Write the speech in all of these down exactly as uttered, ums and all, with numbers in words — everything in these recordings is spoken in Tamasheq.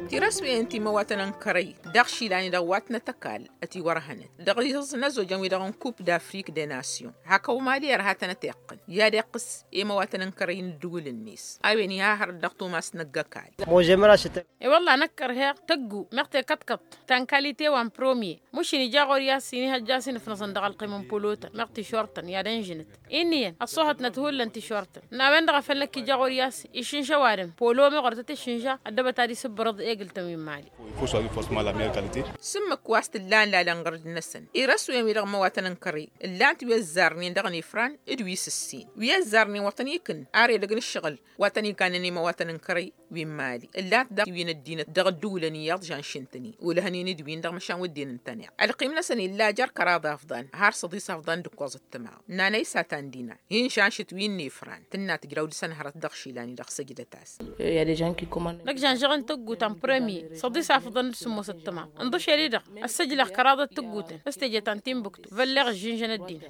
Tirăswăyăn ti măwatăn n-kărăy dăɣ-išilan-i-dăɣ wa tănăt-ăkall ătiwărhănăt dăɣ-ihǝẓ n-ăzzojăn-wi-dăɣ n-kup d-afrik de nasyon. Hak ăwmali ărha tănăt-iqqǝn i-ad-iqqǝs i-măwatăn n-kărăy n-ǝddǝwǝl-net. A-wen iha hărăt dăɣ-tumas năgg-ăkall. I-wălla năkk ărheɣ tăggu meɣ tekăḍkăḍt ta n-kalite wa n-promye. Mušin ija ɣur-i a-s inihăjja a-s inǝfnăẓăn dăɣ-ălqim n-pulotăn meɣ tišortăn i-ad-ănžǝnăt. Inn'-iyyăn ăṣṣuhătnăt hullan tišortăn n-a-wen-dăɣ a făl năkk ija ɣur-i a-s išǝnša ăwadǝm polo meɣ wăr tăt-išǝnša. Ăddăbăt ad-isǝbbărăḍ egǝl-tăn wi n-imali. Sǝmmǝk wa s-tǝllan lalăn ɣǝrǝd-năsăn irăswen-wi-dăɣ n-imăwatăn n-kărăy ǝllan-t wi ăzzarnen dăɣ-inifran d-wi s-ǝssin wi ăzzarnen wăr tăn-ikǝn ar edăgg n-ǝššăɣǝl wa tăn-ikannăn i-imăwatăn n-kărăy wi n-imali ǝllan-t daɣ wi n-ăddinăt dăɣ-ădduulăn iyyăḍ žanšǝn-tăn-i ulhănen d-win-dăɣ măšan wădden ǝntăneɣ. Ălqim-năsăn illa jer-kăraḍ afḍăn har săḍis afḍăn d-ǝkkoẓ ǝttămaḍ. Nana isatan dina hin-žanšǝt wi n-efran tǝnna tǝjraw dăɣ-săn hărăt dăɣ-išilan-i-dăɣ săjdăt-as. Năkk žanžăɣ n-tăggu ta n-prămye săḍis afḍăn d-sǝmmos ǝttămaḍ. Ǝnḍǝšel-i-dăɣ ăssăjlăɣ kăraḍăt tǝggutăn s-teje ta n-timbuktu vălleɣ ǝžžinžăn ăddin.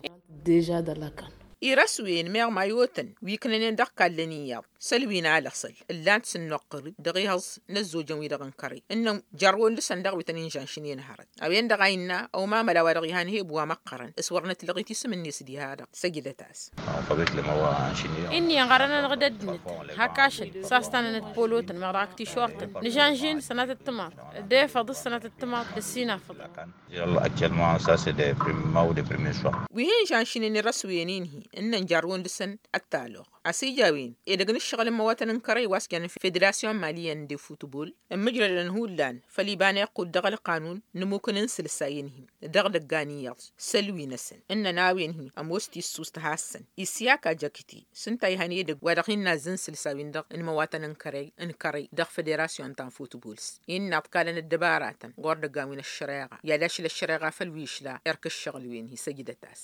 Deža dăɣ-lakan irăswen meɣ mayotăn wi ǝknănen dăɣ-kallăn iyyăḍ săl wi n-alăɣsăl ǝllan-t s-ǝnnuqqǝr-dd dăɣ-ihăẓ n-ăzzojăn-wi-dăɣ n-kărăy ǝnnăn jărrăwăn dăɣ-săn daɣ wi tăn-inžănšǝnen hărăt. A-wen-dăɣ a innă ăwmamăla wa dăɣ-ihan heb wa măqqărăn s-wăr nătlăɣit isǝm-net diha-dăɣ săjdăt-as. Inn'-iyyăn ɣarăn-anăɣ d-ăddinăt hak ašăl s-a-s tanănăt polotăn meɣ dăɣ-ak tišortăn nǝžănžin sănatăt timaḍ d-efăḍ s-sănatăt timaḍ d-ăssinafăḍ. Wi hin-žănšǝnen irăswen-in-hi ǝnnăn jarrăwăn dăɣ-săn ăttaloɣ. A-s ija a-wen edăgg n-ǝššăɣǝl n-imăwatăn n-kărăy wa s-jăn federasyon maliyăn d-futbol ǝmmǝjrădăn hullan făll-iba n-iqqud dăɣ-ălqanun n-ămmukǝn n-isǝlsay-in-hi dăɣ-idăggan iyyăḍ săl wi-năsăn ǝnnăn a-wen-hi ămoos tissust has-săn. Isyaka jăkti s-ǝnta a ihăn edăgg wa dăɣ-hin-nazzăn isǝlsawen-dăɣ n-imăwatăn n-kărăy n-kărăy dăɣ-federasyon ta n-futbol. Innă ǝḍkalăn ăddăbaratăn ɣur-dăggan wi n-ăššăreɣa i-ad-ašăl ăššăreɣa făll-wi išla erk ǝššăɣǝl-wen-hi săjdăt-as.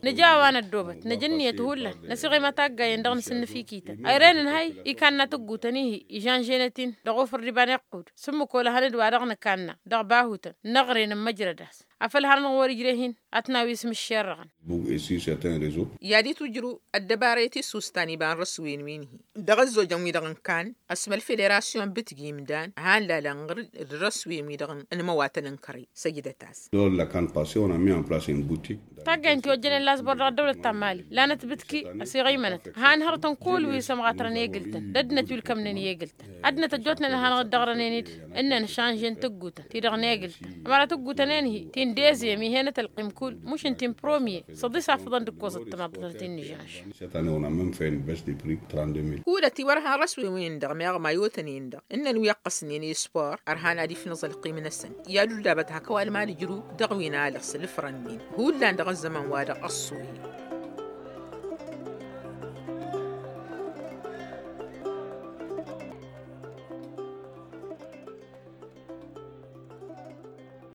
Nǝja a-wa năddoobăt năj' ǝnniyăt hullan năsiɣimăt aggayen dăɣ-nǝsǝnnǝfikităn a irenăn hay ikanna tǝggutăn-i-hi ižănženăt-in dăɣ-ofăr d-iba n-iqqud s-ǝmmǝk olăhăn d-wa-dăɣ nǝkanna dăɣ-bahutăn n-aɣren n-măjrăd-as. Afăl harăn wăr-ijre-hin ad-tǝnawǝy s-imǝššerrăɣăn. I-ad-itwǝjrǝw ăddăbara i-tisustan iba n-răswen-win-hi dăɣ-ăzzojăn-wi-dăɣ n-kan ăsmăl federasyon bǝtgi imdan han lalăn ɣǝr d-răswen-wi-dăɣ n-imăwatăn n-kărăy. Săjdăt-as. Dor la kan pase on a mis en place in butik. Taggaynt i-ojjănen lasbor dăɣ-ăddăwlăt ta n-mali lanăt bǝtki ăsiɣăymănăt han hărătăn kull wi s-ămɣatrăn egǝl-tăn d-ăddinăt wi ǝlkămnen i-egǝl-tăn. Ăddinăt ăjjootnen ad-hanăɣ-dd-ăɣrănen-dd ǝnnăn šanžen tǝggutăn ti-dăɣ n-egǝl-tăn ămăra tǝggutăn-en-hi ti n-deziyăm ih'-enăt ălqim kull mušǝn ti n-promye săḍis afăḍăn d-ǝkkoẓăt tămaḍnăt ti n-ižănš. Cette année on a même fait une baisse de prix trente-deux mille. Hulăt iwărhăn răswen-win-dăɣ meɣ mayotăn-in-dăɣ ǝnnăn wi ăqqăsnen i-spor ărhan ad-ifnăẓ ălqim-năsăn i-ad-uldabăt hak ăwalman ǝjrǝw dăɣ-wi n-alăɣs ǝlfrăn-nin hullan dăɣ-ăzzăman-wa-dăɣ ăṣṣoyăn.